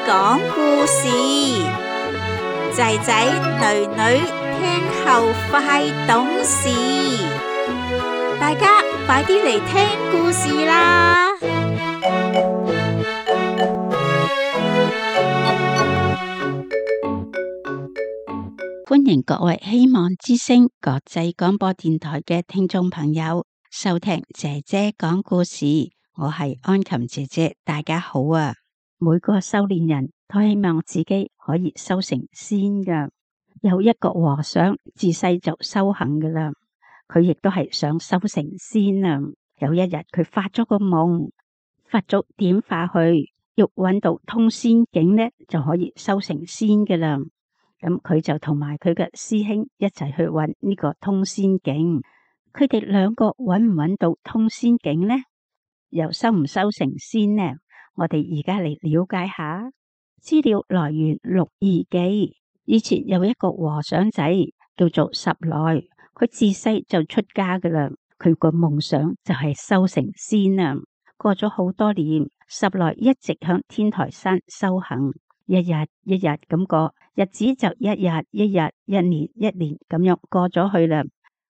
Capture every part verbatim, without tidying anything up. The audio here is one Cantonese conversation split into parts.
講故事，仔仔女女聽後快懂事，大家快啲嚟聽故事啦！歡迎各位希望之聲國際廣播電台嘅聽眾朋友收聽姐姐講故事，我係安琴姐姐，大家好啊！每個修煉人都希望自己可以修成仙噶。有一個和尚自細就修行噶啦，佢亦都係想修成仙啊。有一日佢發咗個夢，佛祖點化去，要搵到通仙境呢，就可以修成仙噶啦。咁佢就同埋佢嘅師兄一齊去搵呢個通仙境。佢哋兩個搵唔搵到通仙境呢？又修唔修成仙呢？我哋而家嚟了解下。資料來源《六義記》。以前有一個和尚仔叫做十來，佢自細就出家噶啦。佢個夢想就係修成仙啊。過咗好多年，十來一直向天台山修行，一日一日咁過，日子就一日一日、一年一年咁樣過咗去啦。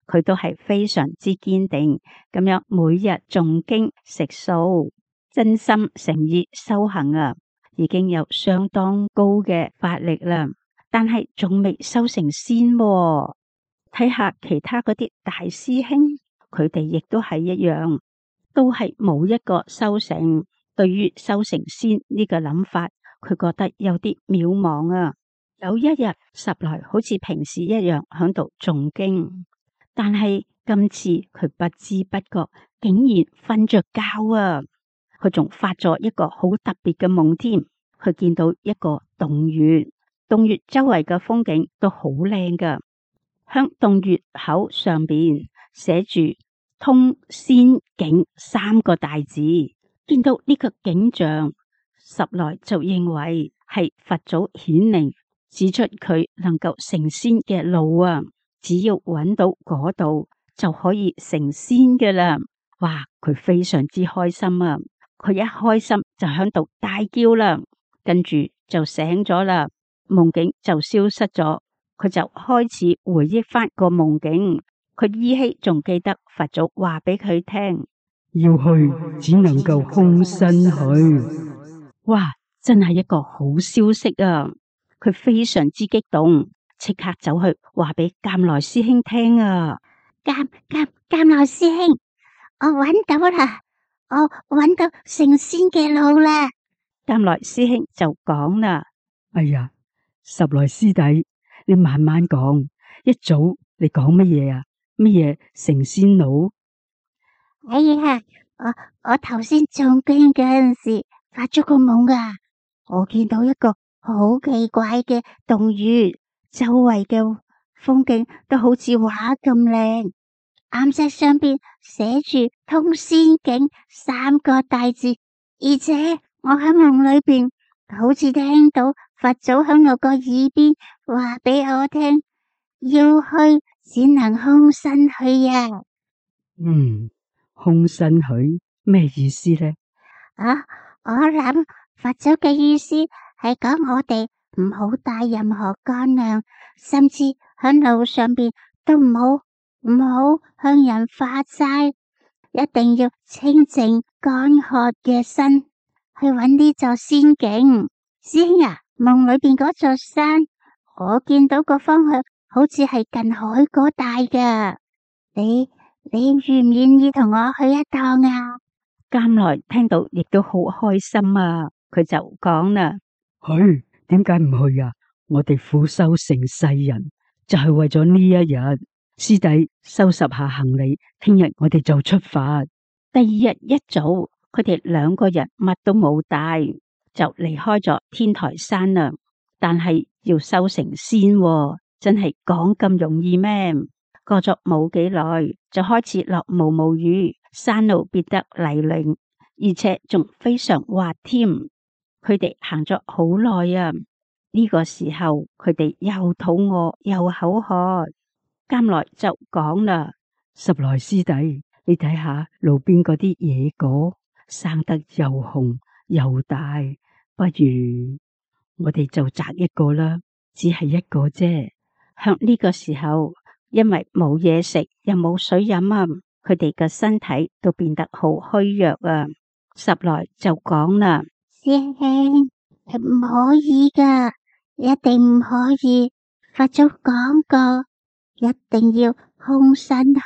佢都係非常之堅定咁樣，每日誦經食素，真心誠意修行啊，已經有相當高嘅法力啦。但係仲未修成仙喎。睇下其他嗰啲大師兄，佢哋亦都係一樣，都係冇一個修成。對於修成仙呢個諗法，佢覺得有啲渺茫啊。有一日，十來好似平時一樣響度誦經。但係今次佢不知不覺竟然瞓着覺啊！佢仲發咗一個好特別嘅夢添。佢見到一個洞穴，洞穴周圍嘅風景都好靚噶。響洞穴口上邊寫住通仙境三個大字。見到呢個景象，十來就認為係佛祖顯靈，指出佢能夠成仙嘅路啊！只要揾到嗰度就可以成仙嘅啦！哇，佢非常之開心啊！佢一開心就響度大叫啦，跟住就醒咗啦，夢境就消失咗。佢就開始回憶翻個夢境，佢依稀仲記得佛祖話俾佢聽，要去只能夠空身去。哇，真係一個好消息啊！佢非常之激動。即刻走去話俾監來師兄聽啊！監監監來師兄，我揾到啦，我揾到成仙嘅路啦！監來師兄就講啦：哎呀，十來師弟，你慢慢講，一早你講乜嘢啊？乜嘢成仙路？哎呀，我我頭先誦經嗰陣時發咗個夢啊！我見到一個好奇怪嘅洞穴。周圍嘅風景都好似畫咁靚，岩石上邊寫住通仙境三個大字，而且我喺夢裏邊好似聽到佛祖喺我個耳邊話俾我聽，要去只能空身去呀。嗯，空身去咩意思呢？啊，我諗佛祖嘅意思係講我哋唔好帶任何乾糧，甚至喺路上邊都唔好唔好向人發債，一定要清淨乾渴嘅身去搵呢座仙境。師兄啊，夢裏邊嗰座山，我見到個方向好似係近海嗰帶噶，你你願唔願意同我去一趟啊？監來聽到亦都好開心啊，佢就講啦：去。點解唔去啊？我哋苦修成世人，就係為咗呢一日。師弟收拾下行李，聽日我哋就出發。第二日一早，佢哋兩個人乜都冇帶，就離開咗天台山啦。但係要修成仙喎，真係講咁容易咩？過咗冇幾耐，就開始落毛毛雨，山路變得泥濘，而且仲非常滑添。佢哋行咗好耐啊！呢個時候佢哋又肚餓又口渴，監來就講啦：十來師弟，你睇下路邊嗰啲野果生得又紅又大，不如我哋就摘一個啦，只係一個啫。向呢個時候，因為冇嘢食又冇水飲啊，佢哋嘅身體都變得好虛弱啊。十來就講啦：師兄，係唔可以噶，一定唔可以。佛祖講過，一定要空身去。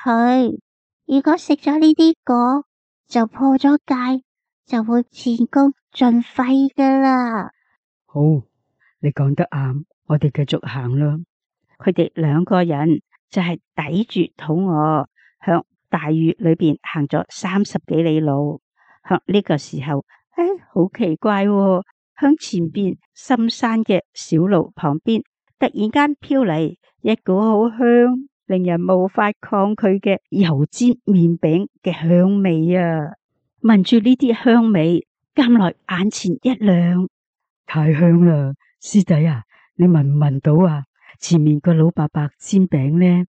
如果食咗呢啲果，就破咗戒，就會前功盡廢噶啦。好，你講得啱，我哋繼續行啦。佢哋兩個人就係抵住肚餓，向大雨裏邊行咗三十幾里路。向呢個時候，唉，好奇怪喎，向前邊深山嘅小路旁邊，突然間飄嚟一股好香，令人無法抗拒嘅油煎麵餅嘅香味啊！聞住呢啲香味，監來眼前一亮，太香啦！師弟啊，你聞唔聞到啊？前面個老伯伯煎餅呢？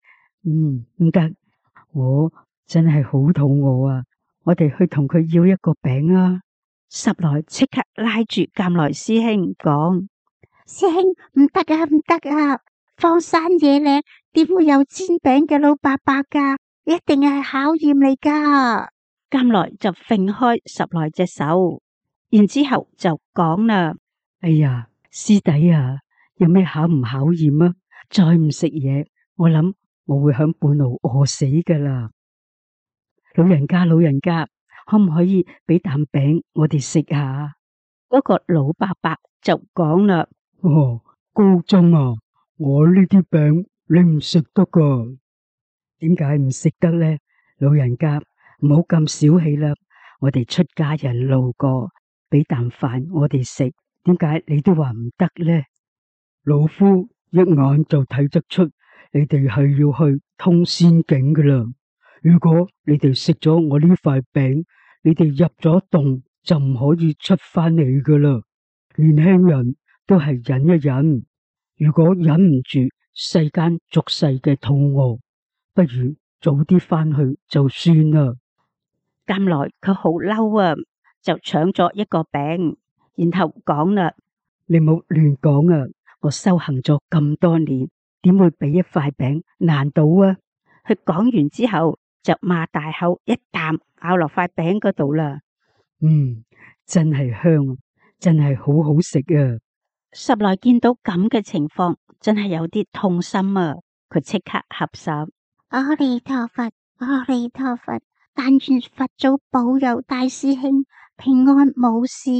嗯，唔得，我真係好肚餓啊！我哋去同佢要一個餅啊！十來即刻拉住監來師兄講：師兄，唔得啊，唔得啊！荒山野嶺點會有煎餅嘅老伯伯噶？一定係考驗嚟噶。監來就揈開十來隻手，然之後就講啦：哎呀，師弟啊，有咩考唔考驗啊？再唔食嘢，我諗我會響半路餓死噶啦！老人家，老人家，可唔可以俾啖餅我哋食下？嗰個老伯伯就講啦：哦，高僧啊，我呢啲餅你唔食得噶。點解唔食得呢？老人家，唔好咁小氣啦！我哋出家人路過，俾啖飯我哋食，點解你都話唔得呢？老夫一眼就睇得出你哋係要去通仙境噶啦。如果你哋食咗我呢塊餅，你哋入咗洞就唔可以出翻嚟噶啦。年輕人都係忍一忍，如果忍唔住世間俗世嘅肚餓，不如早啲翻去就算啦。監來佢好嬲啊，就搶咗一個餅，然後講啦：你冇亂講啊！我修行咗咁多年，點會俾一塊餅難倒啊？佢講完之後就擘大口一啖咬落塊餅嗰度啦。嗯，真係香，真係好好食啊！十來見到咁嘅情況，真係有啲痛心啊！佢即刻合十：阿彌陀佛，阿彌陀佛，但願佛祖保佑大師兄平安無事。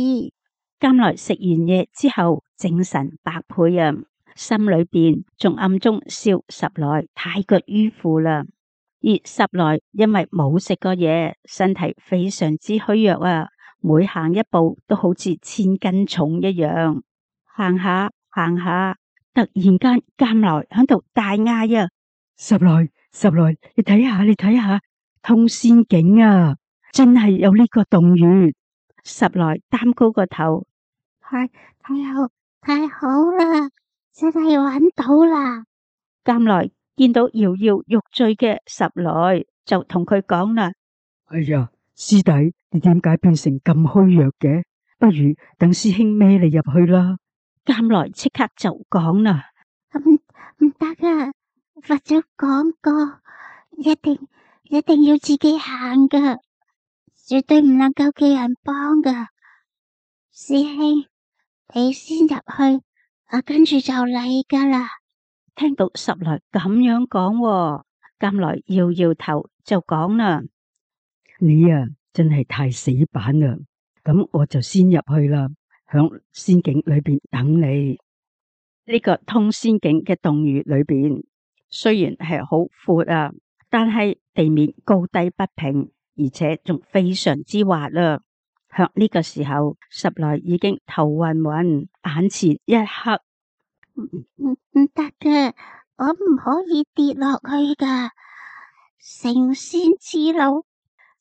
監來食完嘢之後，精神百倍啊！心裏邊仲暗中笑十來太過迂腐啦。而十來因為冇食過嘢，身體非常之虛弱啊，每行一步都好似千斤重一樣。行下行下，突然間監來喺度大嗌啊！十來十來，你睇下你睇下，通仙境啊！真係有呢個洞穴。十來擔高個頭，太太好太好啦，真係揾到啦！監來見到搖搖欲墜嘅十來，就同佢講啦：哎呀，師弟，你點解變成咁虛弱嘅？不如等師兄孭你入去啦。監來即刻就講啦：唔唔得啊！佛祖講過，一定一定要自己行噶，絕對唔能夠叫人幫噶。師兄，你先入去，我跟住就嚟噶啦。聽到十來咁樣講，監來搖搖頭就講啦：你啊，真係太死板啦！咁我就先入去啦，響仙境裏邊等你。呢個通仙境嘅洞穴裏邊，雖然係好闊啊，但係地面高低不平，而且仲非常之滑啦。向呢個時候，十來已經頭暈暈，眼前一黑。唔唔唔得嘅，我唔可以跌落去噶。成仙之路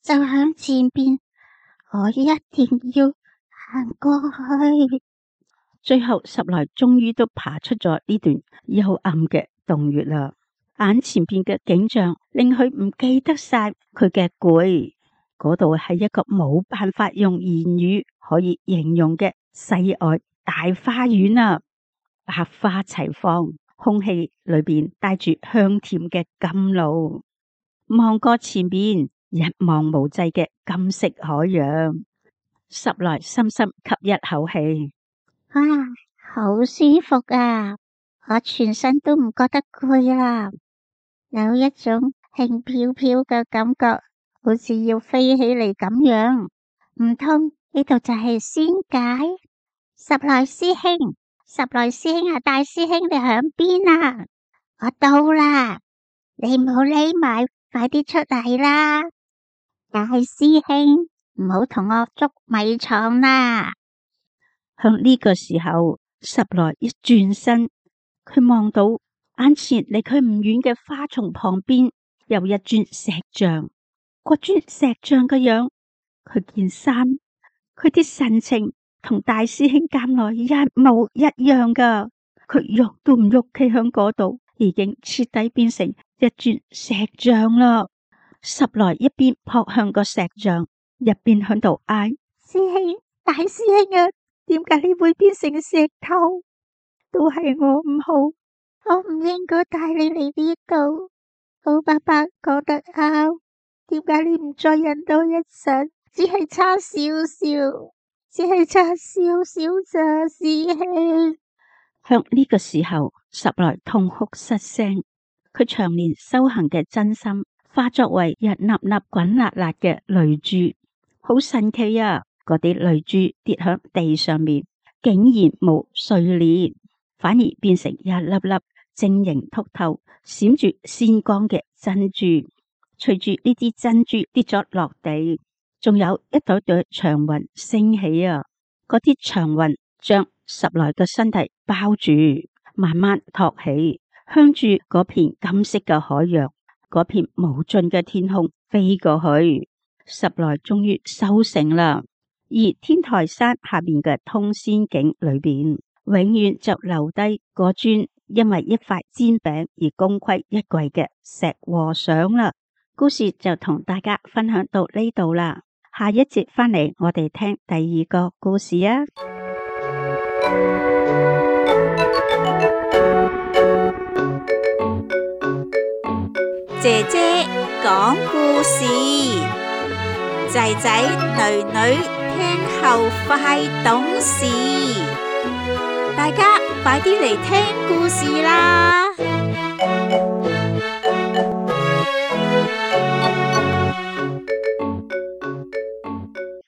就響前邊，我一定要行過去。最後十來終於都爬出咗呢段幽暗嘅洞穴啦。眼前邊嘅景象令佢唔記得晒佢嘅攰。嗰度係一個冇辦法用言語可以形容嘅世外大花園啊，百花齊放，空氣裏邊帶住香甜嘅甘露。望過前面一望無際嘅金色海洋，十來深深吸一口氣，哇，好舒服啊！我全身都唔覺得攰啦，有一種輕飄飄嘅感覺，好似要飛起嚟咁樣。唔通呢度就係仙界？十來師兄，十來師兄啊，大師兄你響邊啊？我到啦，你唔好匿埋，快啲出嚟啦！大師兄，唔好同我捉迷藏啦！向呢個時候，十來一轉身，佢望到眼前離佢唔遠嘅花叢旁邊有一尊石像。嗰尊石像嘅樣，佢件衫，佢啲神情同大師兄監內一模一樣噶。佢喐都唔喐，企響嗰度，已經徹底變成一尊石像啦。十來一邊撲向個石像，一邊響度嗌：師兄，大師兄啊，點解你會變成石頭？都係我唔好，我唔應該帶你嚟呢度。老伯伯講得啱，點解你唔再忍多一陣？只係差少少，只係差少少咋，師兄。向呢個時候，十來痛哭失聲。佢長年修行嘅真心化作為一粒粒滾辣辣嘅淚珠，好神奇啊！嗰啲淚珠跌響地上面，竟然冇碎裂，反而變成一粒粒晶瑩剔透、閃住鮮光嘅珍珠。隨住呢啲珍珠跌咗落地，仲有一朵朵長雲升起啊！嗰啲長雲將十來個身體包住，慢慢托起，向住嗰片金色嘅海洋，嗰片無盡嘅天空飛過去。十來終於收成啦，而天台山下面嘅通仙境裏邊，永遠就留低嗰尊因為一塊煎餅而功虧一簣嘅石和尚啦。故事就同大家分享到呢度啦，下一節返嚟我哋聽第二個故事啊！姐姐講故事，仔仔女女聽後快懂事，大家快啲嚟聽故事啦！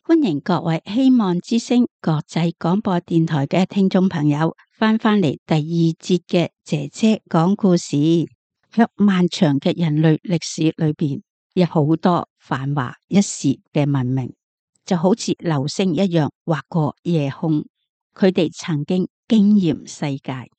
歡迎各位希望之聲國際廣播電台嘅聽眾朋友翻返嚟第二節嘅姐姐講故事。喺漫長嘅人類歷史裏邊，有好多繁華一時嘅文明，就好似流星一樣劃過夜空。佢哋曾經驚艷世界，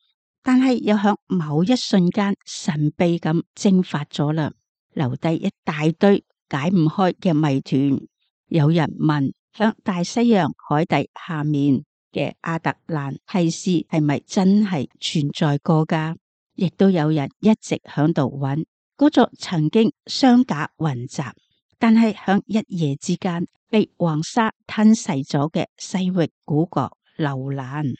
但係又響某一瞬間神秘咁蒸發咗啦，留低一大堆解唔開嘅謎團。有人問，響大西洋海底下面嘅亞特蘭提斯係咪真係存在過噶？亦都有人一直響度揾嗰座曾經雙架雲集，但係響一夜之間被黃沙吞噬咗嘅西域古國樓蘭。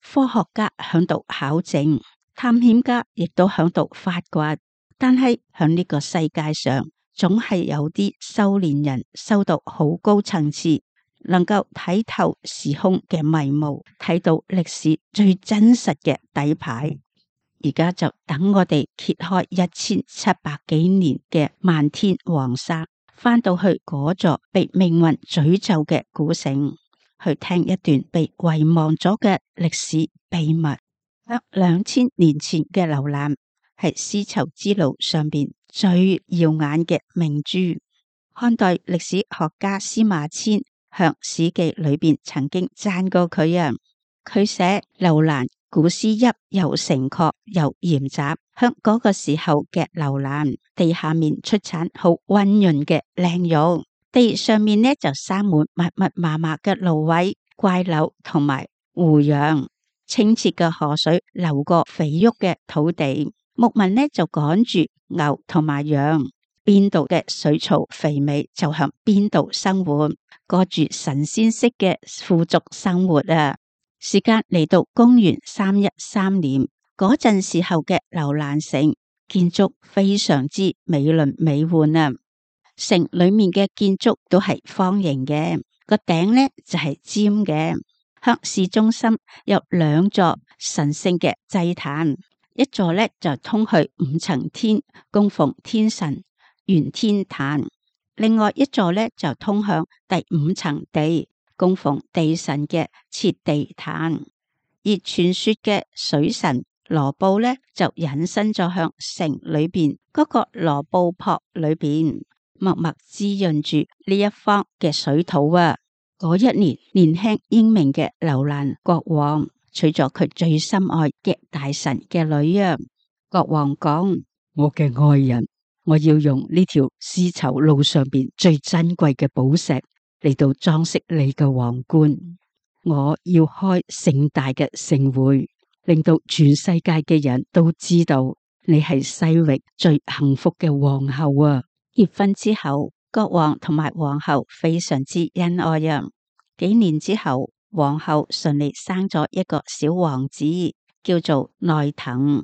科學家響度考證，探險家亦都響度發掘，但係響呢個世界上，總係有啲修煉人修到好高層次，能夠睇透時空嘅迷霧，睇到歷史最真實嘅底牌。而家就等我哋揭開一千七百幾年嘅漫天黃沙，翻到去嗰座被命運詛咒嘅古城，去聽一段被遺忘咗嘅歷史秘密。喺兩千年前嘅樓蘭係絲綢之路上邊最耀眼嘅明珠。漢代歷史學家司馬遷向史記裏邊曾經讚過佢啊，佢寫樓蘭古詩邑又城郭又嚴雜，響嗰個時候嘅樓蘭地下面出產好溫潤嘅靚玉，地上面呢就生滿密密麻麻嘅蘆葦、怪柳同埋胡楊，清澈嘅河水流過肥沃嘅土地，牧民呢就趕住牛同埋羊，邊度嘅水草肥美就向邊度生活，過住神仙式嘅富足生活啊！時間嚟到公元三一三年，嗰陣時候嘅樓蘭城建築非常之美輪美奐啊！城裏面嘅建築都係方形嘅，個頂呢就係尖嘅。向市中心有兩座神聖嘅祭壇，一座呢就通去五層天，供奉天神玄天壇；另外一座呢就通向第五層地，供奉地神嘅切地壇。而傳說嘅水神羅布呢，就隱身咗向城裏邊嗰個羅布泊裏邊，默默滋潤住呢一方嘅水土啊！嗰一年，年輕英明嘅樓蘭國王娶咗佢最心愛嘅大臣嘅女啊！國王講：我嘅愛人，我要用呢條絲綢路上邊最珍貴嘅寶石嚟到裝飾你嘅皇冠。我要開盛大嘅盛會，令到全世界嘅人都知道你係西域最幸福嘅皇后啊！結婚之後，國王同埋皇后非常之恩愛啊！幾年之後，皇后順利生咗一個小王子，叫做內藤。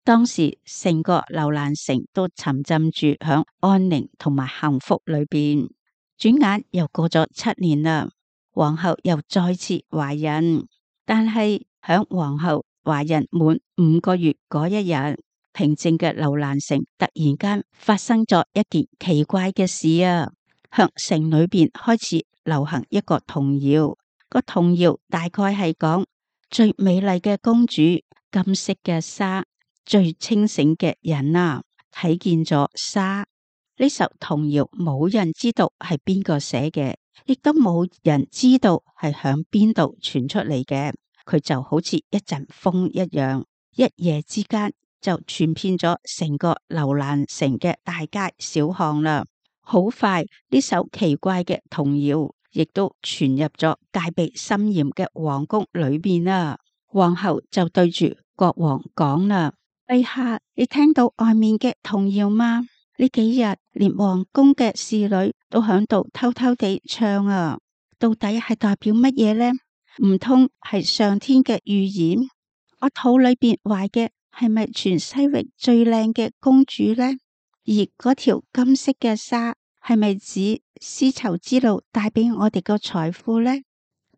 當時成個樓蘭城都沉浸住響安寧同埋幸福裏邊。轉眼又過咗七年啦。皇后又再次懷孕，但係響皇后懷孕滿五個月嗰一日，平靜嘅樓蘭城突然間發生咗一件奇怪嘅事啊！向城裏邊開始流行一個童謠，個童謠大概係講最美麗嘅公主，金色嘅紗，最清醒嘅人啊，睇見咗紗。呢首童謠冇人知道係邊個寫嘅，亦都冇人知道係響邊度傳出嚟嘅。佢就好似一陣風一樣，一夜之間就傳遍咗成個樓蘭城嘅大街小巷啦。好快，呢首奇怪嘅童謠亦都傳入咗戒備森嚴嘅皇宮裏邊啦。皇后就對住國王講啦：陛下，你聽到外面嘅童謠嗎？呢幾日連皇宮嘅侍女都響度偷偷地唱啊，到底係代表乜嘢呢？唔通係上天嘅預言？我肚裏邊懷嘅係咪全西域最靚嘅公主呢？而嗰條金色嘅紗係咪指絲綢之路帶俾我哋個財富呢？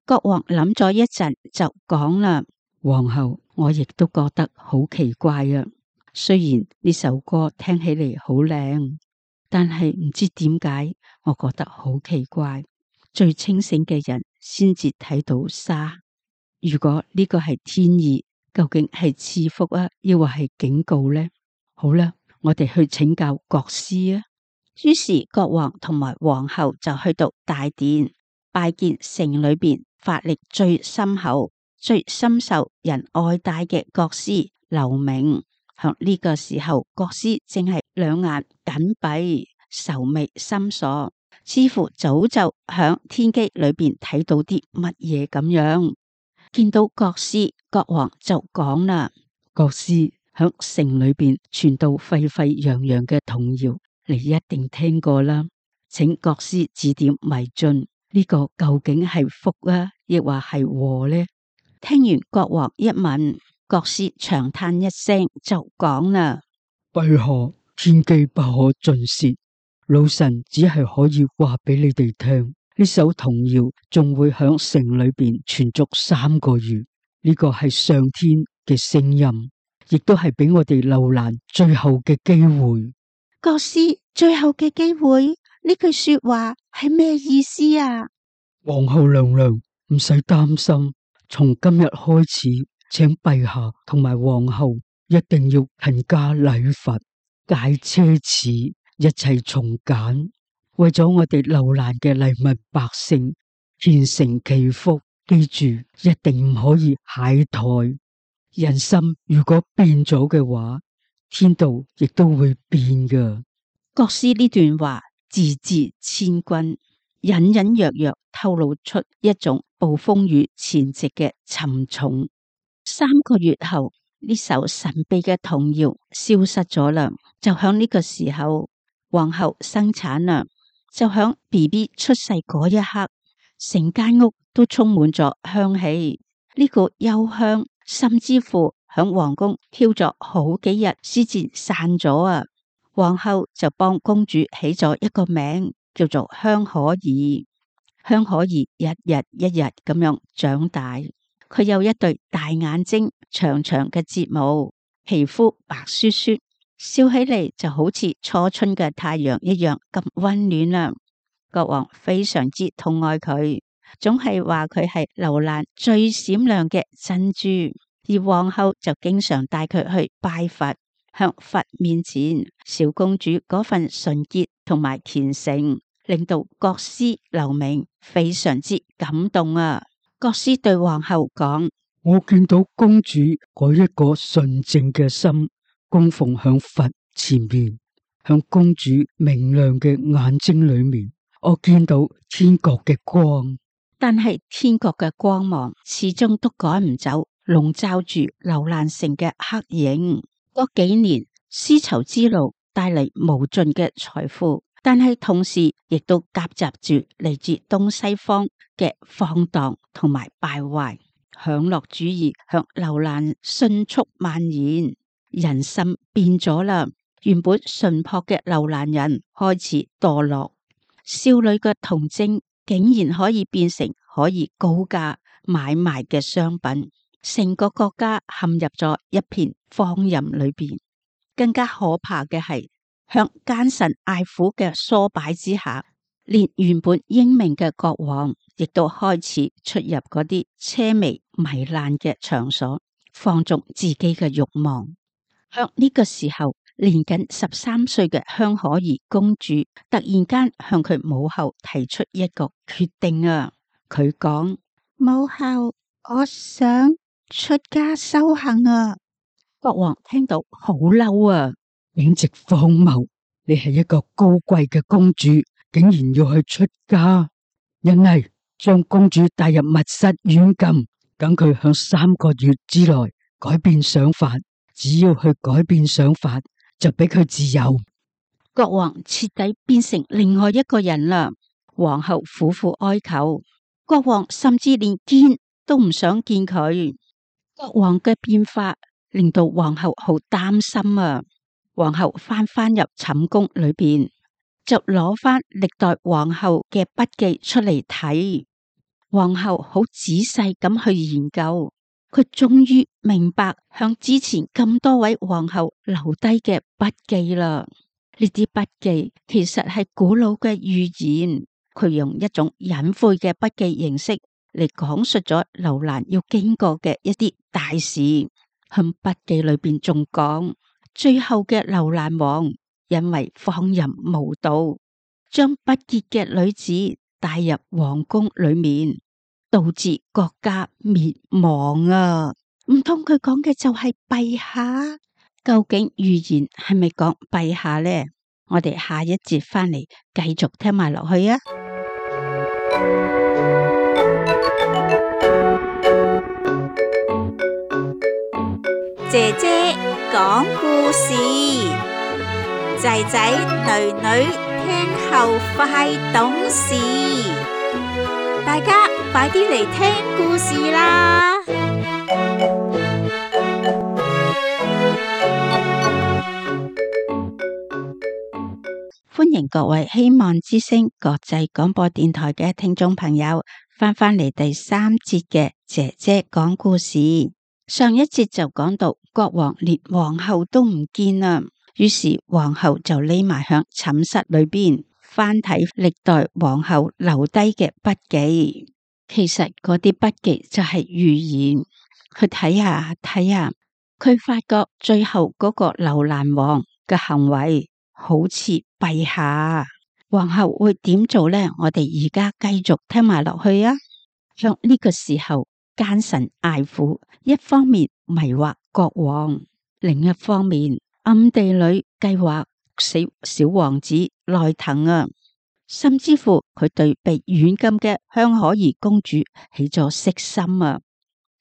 國王諗咗一陣就講啦：皇后，我亦都覺得好奇怪啊。雖然呢首歌聽起嚟好靚，但係唔知點解，我覺得好奇怪。最清醒嘅人先至睇到紗。如果呢個係天意，究竟係賜福啊，抑或係警告呢？好啦，我哋去請教國師啊。於是國王同埋皇后就去到大殿拜見城裏邊法力最深厚、最深受人愛戴嘅國師劉明。響呢個時候，國師正係兩眼緊閉、愁眉深鎖，似乎早就響天機裏邊睇到啲乜嘢咁樣。見到國師，國王就講啦：國師，響城裏邊傳到沸沸揚揚嘅童謠，你一定聽過啦。請國師指點迷津，呢個究竟係福啊，亦或係禍呢？聽完國王一問，國師長嘆一聲就講啦：陛下，天機不可盡泄，老臣只係可以話俾你哋聽，呢首童謠仲會響城裏邊傳足三個月。呢個係上天嘅聲音，亦都係俾我哋樓蘭最後嘅機會。國師，最後嘅機會，呢句說話係咩意思啊？皇后娘娘唔使擔心，從今日開始，請陛下同埋皇后一定要勤加禮佛，戒奢侈，一切從簡，為咗我哋樓蘭嘅黎民百姓虔誠祈福。記住，一定唔可以懈怠。人心如果變咗嘅話，天道亦都會變噶。國師呢段話字字千鈞，隱隱約約透露出一種暴風雨前夕嘅沉重。三個月後，呢首神秘嘅童謠消失咗啦。就響呢個時候，皇后生產啦。就響 B B 出世嗰一刻，成間屋都充滿咗香氣。呢股幽香甚至乎響皇宮飄咗好幾日先至散咗啊！皇后就幫公主起咗一個名，叫做香可兒。香可兒日日一日咁樣長大，佢有一對大眼睛、長長嘅睫毛，皮膚白雪雪，笑起嚟就好似初春嘅太陽一樣咁溫暖啦。國王非常之痛愛佢，總係話佢係樓蘭最閃亮嘅珍珠，而皇后就經常帶佢去拜佛，向佛面前，小公主嗰份純潔同埋虔誠，令到國師劉明非常之感動啊！國師對皇后講：我見到公主嗰一個純淨嘅心供奉響佛前面，響公主明亮嘅眼睛裏面，我見到天國嘅光。但係天國嘅光芒始終都趕唔走籠罩住樓蘭城嘅黑影。嗰幾年絲綢之路帶嚟無盡嘅財富，但係同時亦都夾雜住嚟自東西方嘅放蕩同埋敗壞，享樂主義向樓蘭迅速蔓延，人心變咗啦。原本淳樸嘅樓蘭人開始墮落，少女嘅童貞竟然可以變成可以高價買賣嘅商品，成個國家陷入咗一片荒淫裏邊。更加可怕嘅係，向奸臣愛撫嘅唆擺之下，連原本英明嘅國王亦都開始出入嗰啲奢靡糜爛嘅場所，放縱自己嘅慾望。響呢個時候，年僅十三歲嘅香可兒公主突然間向佢母后提出一個決定啊！佢講：母后，我想出家修行啊！國王聽到好嬲啊！簡直荒謬！你係一個高貴嘅公主，竟然要去出家？因為將公主帶入密室軟禁，等佢響三個月之內改變想法，只要去改變想法，就俾佢自由。國王徹底變成另外一個人啦。皇后苦苦哀求，國王甚至連見都唔想見佢。國王嘅變化令到皇后好擔心啊！皇后翻返入寢宮裏邊，就攞翻歷代皇后嘅筆記出嚟睇。皇后好仔細咁去研究，佢終於明白向之前咁多位皇后留低嘅筆記啦。呢啲筆記其實係古老嘅預言，佢用一種隱晦嘅筆記形式嚟講述咗樓蘭要經過嘅一啲大事。喺筆記裏邊仲講，最後嘅樓蘭王因為放淫無道，將不潔嘅女子帶入皇宮裏面，導致國家滅亡啊！唔通佢講嘅就係陛下？究竟預言係咪講陛下呢？我哋下一節翻嚟繼續聽埋落去啊！姐姐講故事，仔仔女女聽後快懂事，大家快啲嚟聽故事啦！歡迎各位希望之聲國際廣播電台嘅聽眾朋友翻返嚟第三節嘅姐姐講故事。上一節就講到國王連皇后都唔見啦，於是皇后就匿埋響寢室裏邊翻睇歷代皇后留低嘅筆記。其實嗰啲筆記就係預言，佢睇下睇下，佢發覺最後嗰個樓蘭王嘅行為好似陛下。皇后會點做呢？我哋而家繼續聽埋落去啊！響呢個時候，奸臣愛撫一方面迷惑國王，另一方面暗地裏計劃死小王子內藤啊！甚至乎佢對被軟禁嘅香可兒公主起咗色心啊！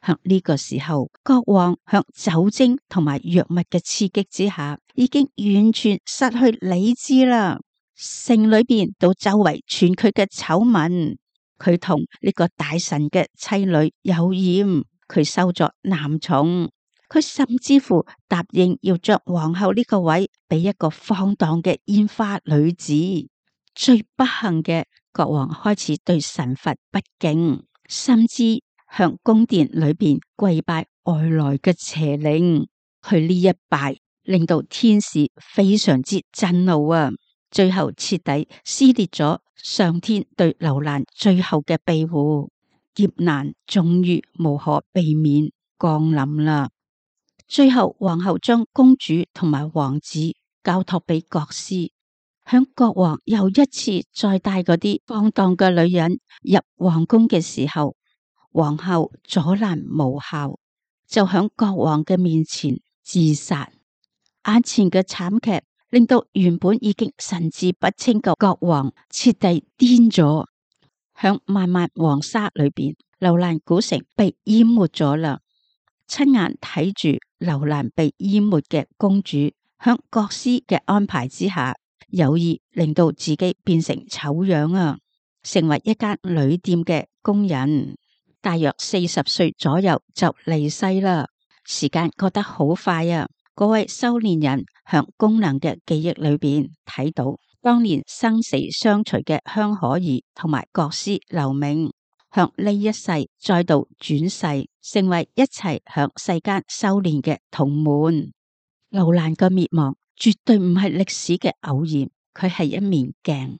喺呢個時候，國王向酒精同埋藥物嘅刺激之下，已經完全失去理智啦。城裏邊到周圍傳佢嘅醜聞，佢同呢個大臣嘅妻女有染，佢收咗男寵。佢甚至乎答應要將皇后呢個位俾一個放蕩嘅煙花女子。最不幸嘅，國王開始對神佛不敬，甚至向宮殿裏邊跪拜外來嘅邪靈。佢呢一拜令到天使非常之震怒啊！最後徹底撕裂咗上天對樓蘭最後嘅庇護，劫難終於無可避免降臨啦。最後皇后將公主同埋王子交託俾國師，響國王又一次再帶嗰啲放蕩嘅女人入皇宮嘅時候，皇后阻攔無效，就響國王嘅面前自殺。眼前嘅慘劇令到原本已經神志不清嘅國王徹底癲咗。響漫漫黃沙裏邊，樓蘭古城被淹沒咗啦。親眼睇住樓蘭被淹沒嘅公主，響國師嘅安排之下，有意令到自己變成醜樣啊，成為一間旅店嘅工人。大約四十歲左右就離世啦。時間過得好快啊！嗰位修煉人向功能嘅記憶裏邊睇到當年生死相隨嘅香可兒同埋國師劉銘，向呢一世再度轉世，成為一齊向世間修煉嘅同門。樓蘭嘅滅亡絕對唔係歷史嘅偶然，佢係一面鏡，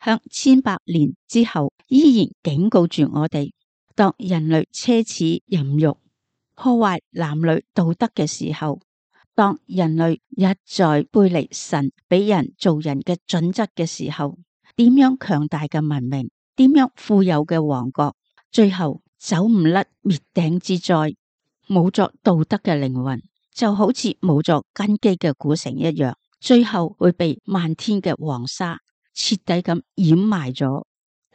向千百年之後依然警告住我哋：當人類奢侈淫欲、破壞男女道德嘅時候，當人類一再背離神俾人做人嘅準則嘅時候，點樣強大嘅文明，點樣富有嘅王國，最後走唔甩滅頂之災。冇咗道德嘅靈魂，就好似冇咗根基嘅古城一樣，最後會被漫天嘅黃沙徹底咁掩埋咗。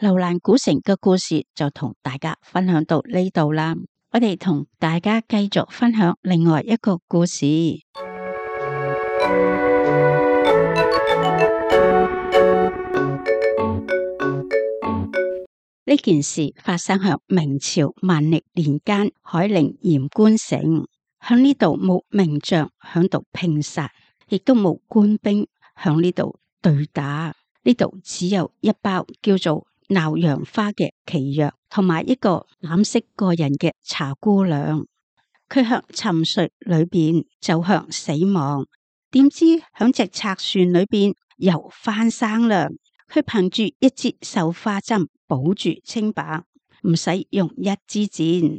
樓蘭古城嘅故事就同大家分享到呢度啦。我哋同大家繼續分享另外一個故事。呢件事發生喺明朝萬曆年間，海寧鹽官城。響呢度冇名將響度拼殺，亦都冇官兵響呢度對打。呢度只有一包叫做鬧陽花嘅奇藥，同埋一個膽識過人嘅茶姑娘。佢向沉睡裏邊走向死亡，點知響隻賊船裏邊又翻生啦。佢憑住一支繡花針保住清白，唔使用，用一支箭，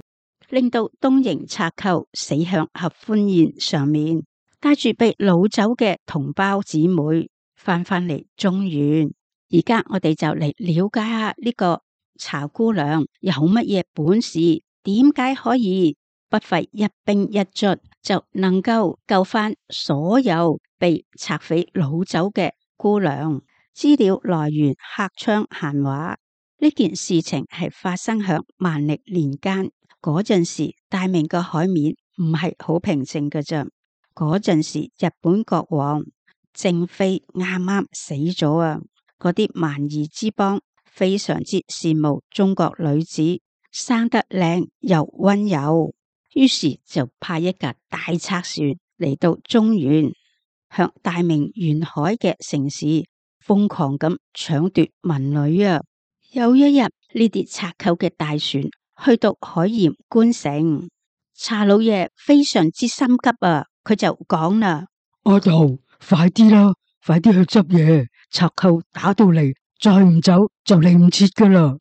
令到東瀛賊寇死響合歡宴上面，帶住被擄走嘅同胞姊妹翻返嚟中原。而家我哋就嚟了解下呢個茶姑娘有乜嘢本事，點解可以不費一兵一卒就能夠救翻所有被賊匪擄走嘅姑娘。資料來源客昌閒話。呢件事情係發生響萬曆年間，嗰陣時大明嘅海面唔係好平靜嘅啫。嗰陣時日本國王正妃啱啱死咗啊，嗰啲蠻夷之邦非常之羨慕中國女子生得靚又溫柔，於是就派一架大賊船嚟到中原，向大明沿海嘅城市瘋狂咁搶奪民女啊！有一日，呢啲賊寇嘅大船去到海鹽官城，查老爺非常之心急啊！佢就講啦：阿頭，快啲啦，快啲去執嘢，賊寇打到嚟，再唔走就嚟唔切噶啦！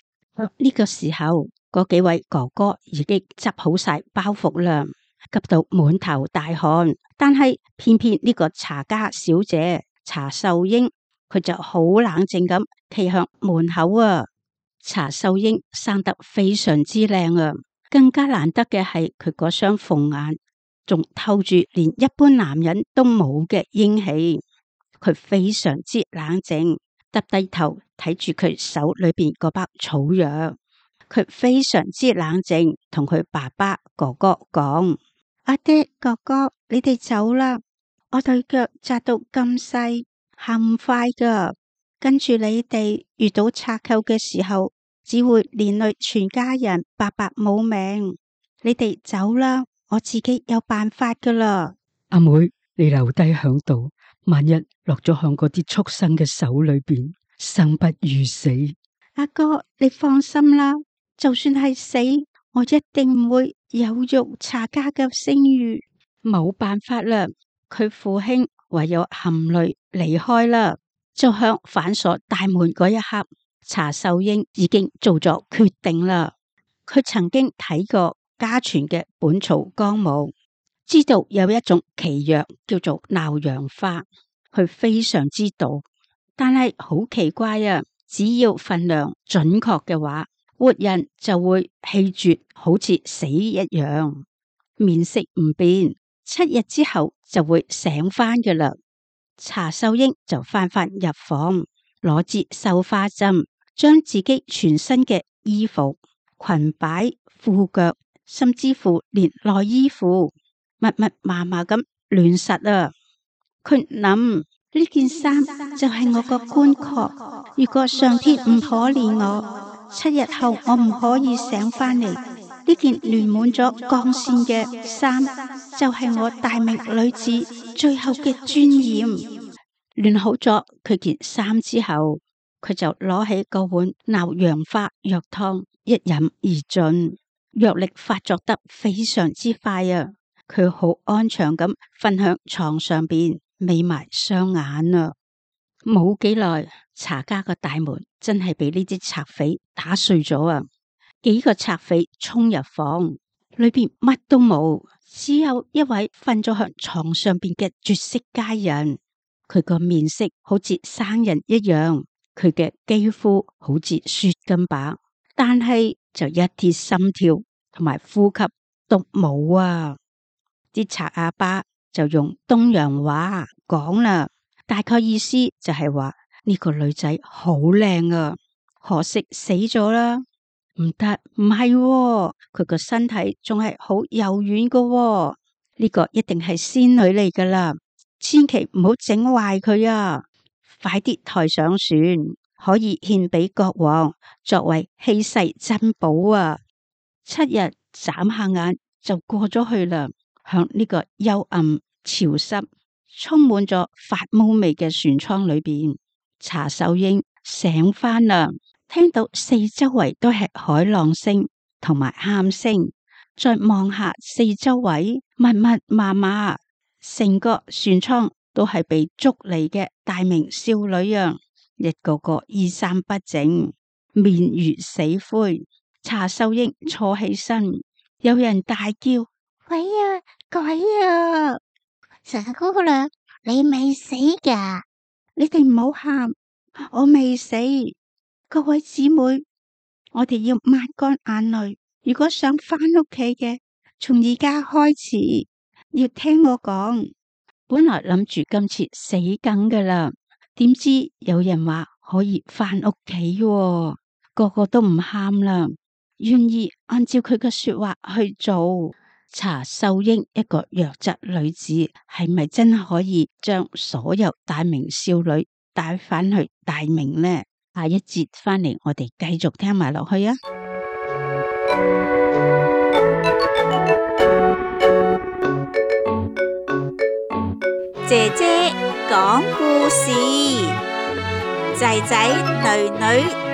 呢個時候，嗰幾位哥哥已經執好晒包袱啦，急到滿頭大汗。但係偏偏呢個查家小姐查秀英，佢就好冷靜咁企向門口啊。查秀英生得非常之靚啊，更加難得嘅係佢嗰雙鳳眼仲透住連一般男人都冇嘅英氣。佢非常之冷靜，耷低頭睇住佢手裏邊嗰包草藥。佢非常之冷靜，同佢爸爸哥哥講：阿爹哥哥，你哋走啦，我對腳紮到咁細，行唔快噶。跟住你哋遇到賊寇嘅時候，只會連累全家人白白冇命。你哋走啦，我自己有辦法噶啦。阿妹，你留低響度，萬一落咗響嗰啲畜生嘅手裏邊，生不如死。阿哥，你放心啦，就算係死，我一定唔會有辱查家嘅聲譽。冇辦法啦，佢父兄唯有含淚離開啦。就向反鎖大門嗰一刻，查秀英已經做咗決定啦。佢曾經睇過家傳嘅《本草綱目》，知道有一種奇藥叫做鬧陽花，佢非常之毒，但係好奇怪啊！只要分量準確嘅話，活人就會氣絕，好似死一樣，面色唔變，七日之後就會醒翻嘅啦。查秀英就翻返入房，攞支繡花針，將自己全身嘅衣服、裙擺、褲腳，甚至乎連內衣褲，密密麻麻咁亂實啊！佢諗呢件衫就係我個棺殼，如果上天唔可憐我，七日後我唔可以醒翻嚟，呢件亂滿咗鋼線嘅衫就係我大明女子最後嘅尊嚴。亂好咗佢件衫之後，佢就攞起個碗鬧陽花藥湯，一飲而盡，藥力發作得非常之快啊！佢好安詳咁瞓響床上邊，眯埋雙眼啊！冇幾耐，查家個大門真係俾呢啲賊匪打碎咗啊！幾個賊匪衝入房，裏邊乜都冇，只有一位瞓咗響床上邊嘅絕色佳人。佢個面色好似生人一樣，佢嘅肌膚好似雪咁白，但係就一啲心跳同埋呼吸都冇啊！啲賊阿爸就用東洋話講啦，大概意思就係話呢個女仔好靚啊，可惜死咗啦。唔得，唔係喎，佢個身體仲係好柔軟噶喎，呢個一定係仙女嚟噶啦。千祈唔好整壞佢啊！快啲抬上船，可以獻俾國王作為稀世珍寶啊！七日眨下眼就過咗去啦。響呢個幽暗、潮濕、充滿咗發霉味嘅船艙裏邊，查秀英醒翻啦，聽到四周圍都係海浪聲同埋喊聲，再望下四周圍密密麻麻。成個船艙都係被捉嚟嘅大明少女啊！一個個衣衫不整，面如死灰。查秀英坐起身，有人大叫：鬼啊！鬼啊！查姑娘，你未死噶？你哋唔好喊，我未死。各位姊妹，我哋要抹乾眼淚。如果想翻屋企嘅，從而家開始。要聽我講，本來諗住今次死梗噶啦，點知有人話可以翻屋企，個個都唔喊啦，願意按照佢嘅說話去做。查秀英一個弱質女子，係咪真可以將所有大明少女帶翻去大明呢？下一節翻嚟，我哋繼續聽埋落去啊！姐姐講故事，仔仔女女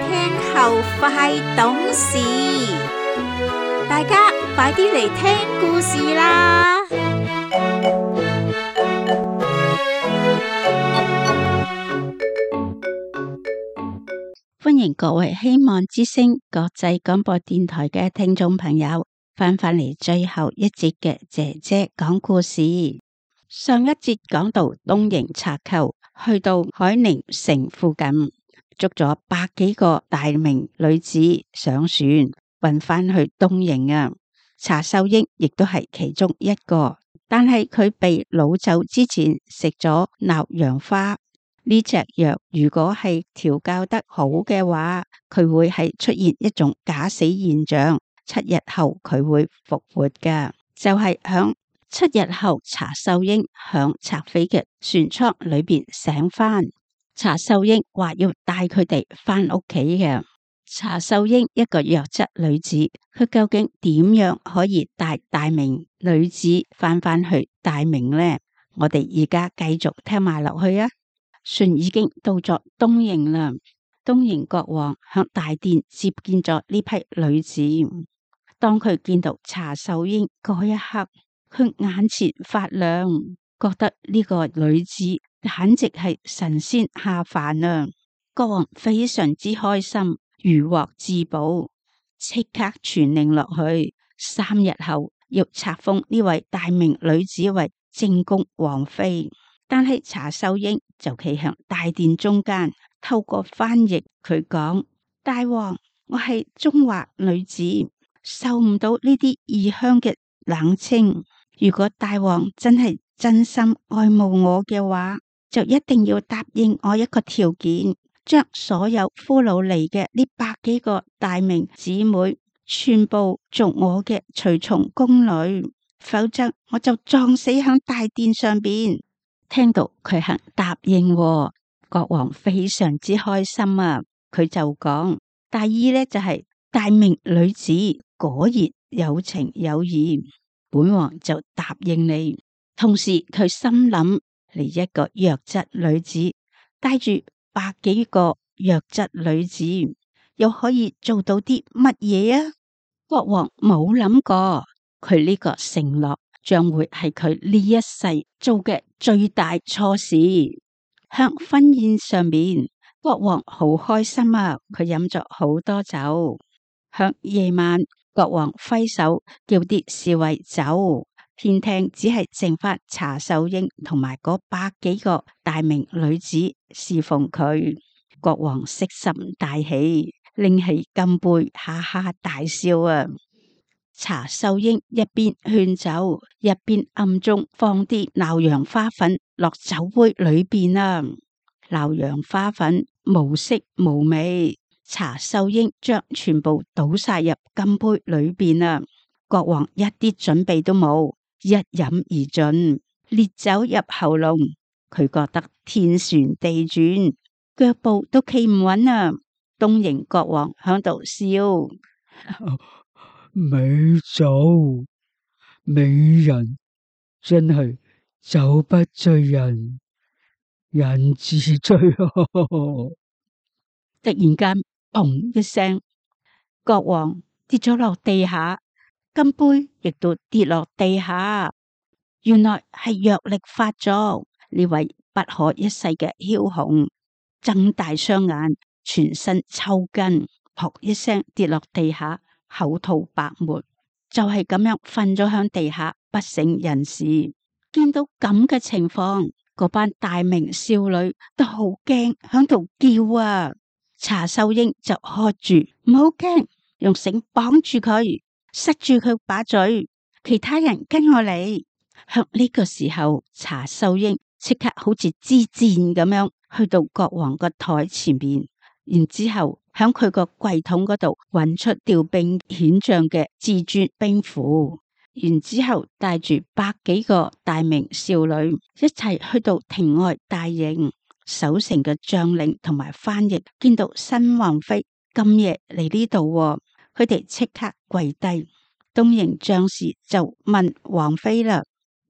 聽後快懂事，大家快啲嚟聽故事啦！歡迎各位希望之聲國際廣播電台嘅聽眾朋友翻返嚟最後一節嘅姐姐講故事。上一節講到東瀛賊寇去到海寧城附近，捉咗百幾個大明女子上船，運翻去東瀛啊。查秀英亦都係其中一個，但係佢被擄走之前食咗鬧陽花呢隻藥，如果係調教得好嘅話，佢會係出現一種假死現象，七日後佢會復活噶。就係、是、響七日後，查秀英響賊匪嘅船艙裏邊醒翻。查秀英話要帶佢哋翻屋企嘅，查秀英一個弱質女子，佢究竟點樣可以帶大明女子翻返去大明呢？我哋而家繼續聽埋落去啊！船已經到咗東瀛啦，東瀛國王向大殿接見咗呢批女子。當佢見到查秀英嗰一刻，佢眼前發亮，覺得呢個女子簡直係神仙下凡啊！國王非常之開心，如獲至寶，即刻傳令落去，三日後要冊封呢位大明女子為正宮王妃。但係查秀英就企向大殿中間，透過翻譯佢講：大王，我係中華女子，受唔到呢啲異鄉嘅冷清。如果大王真係真心愛慕我嘅話，就一定要答應我一個條件，將所有俘虜嚟嘅呢百幾個大明姊妹全部做我嘅隨從宮女，否則我就撞死響大殿上邊。聽到佢肯答應，國王非常之開心啊！佢就講：大意呢就係、是、大明女子果然有情有義，本王就答應你。同時佢心諗，嚟一個弱質女子帶住百幾個弱質女子，又可以做到啲乜嘢啊？國王冇諗過，佢呢個承諾將會係佢呢一世做嘅最大錯事。向婚宴上面，國王好開心啊！佢飲咗好多酒。向夜晚，國王揮手叫啲侍衛走，偏廳只係剩翻查秀英同埋嗰百幾個大明女子侍奉佢。國王色心大喜，拎起金杯，哈哈大笑啊！查秀英一邊勸酒，一邊暗中放啲鬧洋花粉落酒杯裏邊啊！鬧洋花粉無色無味，查秀英將全部倒晒入金杯裏邊啊！國王一啲準備都冇，一飲而盡，烈酒入喉嚨，佢覺得天旋地轉，腳步都企唔穩啊！東瀛國王響度笑。美酒美人，真係酒不醉人，人自醉。突然間，砰一聲，國王跌咗落地下，金杯亦都跌落地下。原來係藥力發作，呢位不可一世嘅梟雄睜大雙眼，全身抽筋，撲一聲跌落地下，口吐白沫，就係、是、咁樣瞓咗響地下，不省人事。見到咁嘅情況，嗰班大明少女都好驚，響度叫啊！查秀英就喝住唔好驚，用繩綁住佢，塞住佢把嘴。其他人跟我嚟。響呢個時候，查秀英即刻好似支箭咁樣去到國王個台前邊，然之後響佢個櫃桶嗰度揾出調兵遣將嘅至尊兵符，然之後帶住百幾個大明少女一齊去到庭外大營。守城嘅將領同埋翻譯見到新王妃咁夜嚟呢度，佢哋即刻跪低。東瀛將士就問王妃啦：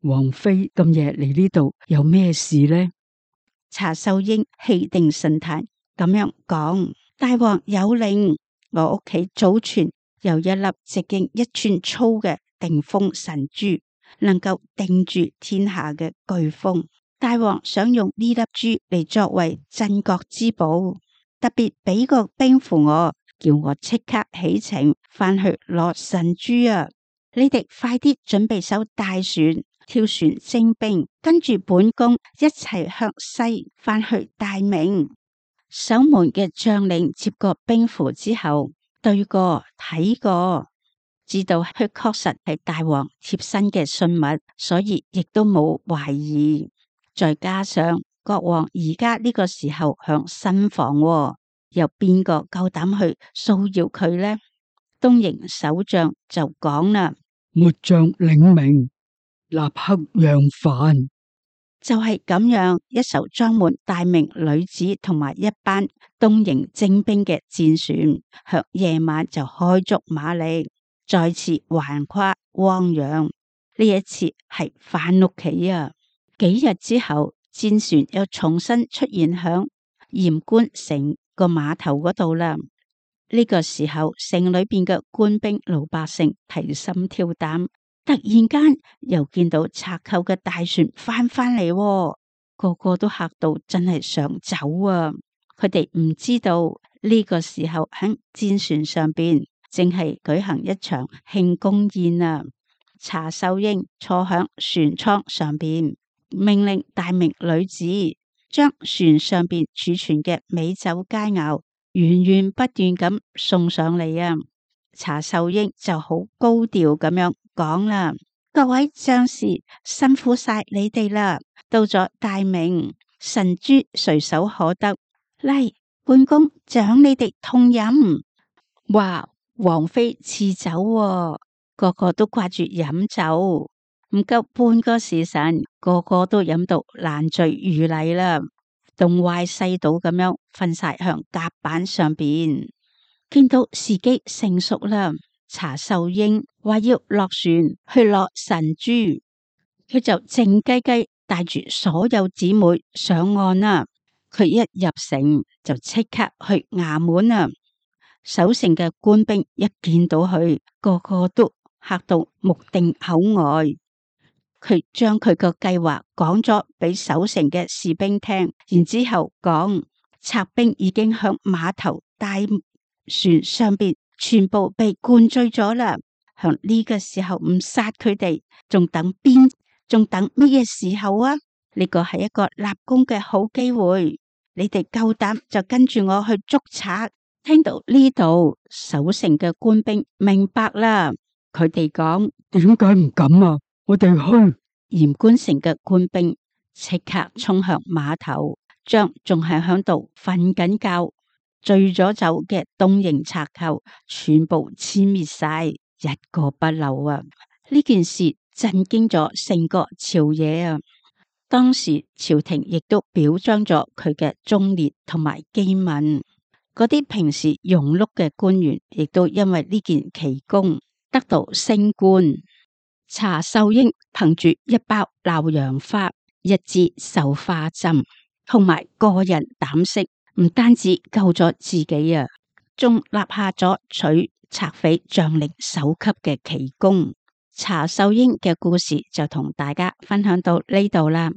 王妃咁夜嚟呢度有咩事呢？查秀英氣定神閒咁樣講：大王有令，我屋企祖傳有一粒直徑一寸粗嘅定風神珠，能夠定住天下嘅颶風。大王想用呢粒珠嚟作為鎮國之寶，特別俾個兵符我，叫我即刻起程翻去攞神珠啊！你哋快啲準備艘大船，跳船徵兵，跟住本宮一齊向西翻去大明。守門嘅將領接過兵符之後，對過睇過，知道佢確實係大王貼身嘅信物，所以亦都冇懷疑。再加上國王而家呢個時候向新房，有邊個夠膽去騷擾佢呢？東瀛守將就講啦：末將領命，立刻讓飯。就係咁樣，一艘裝滿大名女子同埋一班東瀛精兵嘅戰船，向夜晚就開足馬力，再次橫跨汪洋。呢一次係返屋企啊！幾日之後，戰船又重新出現響鹽官城個碼頭嗰度啦。呢個時候，城裏邊嘅官兵老百姓提心吊膽，突然間又見到賊寇嘅大船翻返嚟，個個都嚇到真係想走啊！佢哋唔知道呢個時候喺戰船上邊正係舉行一場慶功宴啊！查秀英坐響船艙上邊，命令大名女子將船上邊儲存嘅美酒佳肴源源不斷咁送上嚟啊！查秀英就好高調咁樣講啦：各位將士辛苦晒你哋啦！到咗大名，神珠隨手可得，嚟，本宮獎你哋痛飲。哇！王妃賜酒啊，個個都掛住飲酒，唔夠半個時辰，個個都飲到爛醉如泥啦，東歪西倒咁樣瞓晒向甲板上邊。見到時機成熟啦，查秀英話要落船去攞神珠，佢就靜雞雞帶住所有姊妹上岸啦。佢一入城就即刻去衙門啊！守城嘅官兵一見到佢，個個都嚇到目定口呆。佢將佢個計劃講咗俾守城嘅士兵聽，然之後講賊兵已經向碼頭大船上邊全部被灌醉咗啦。響呢個時候唔殺佢哋，仲等邊？仲等乜嘢時候啊？呢個係一個立功嘅好機會，你哋夠膽就跟住我去捉賊。聽到呢度，守城嘅官兵明白啦，佢哋講：點解唔敢啊？我哋去。鹽官城嘅官兵即刻衝向碼頭，將仲係響度瞓緊覺、醉咗酒嘅東瀛賊寇全部殲滅晒，一個不留啊！呢件事震驚咗成個朝野啊！當時朝廷亦都表彰咗佢嘅忠烈同埋機敏，嗰啲平時庸碌嘅官員亦都因為呢件奇功得到升官。查秀英憑住一包鬧洋花、一支繡花針同埋個人膽識，唔單止救咗自己啊，仲立下咗取賊匪將領首級嘅奇功。查秀英嘅故事就同大家分享到呢度啦。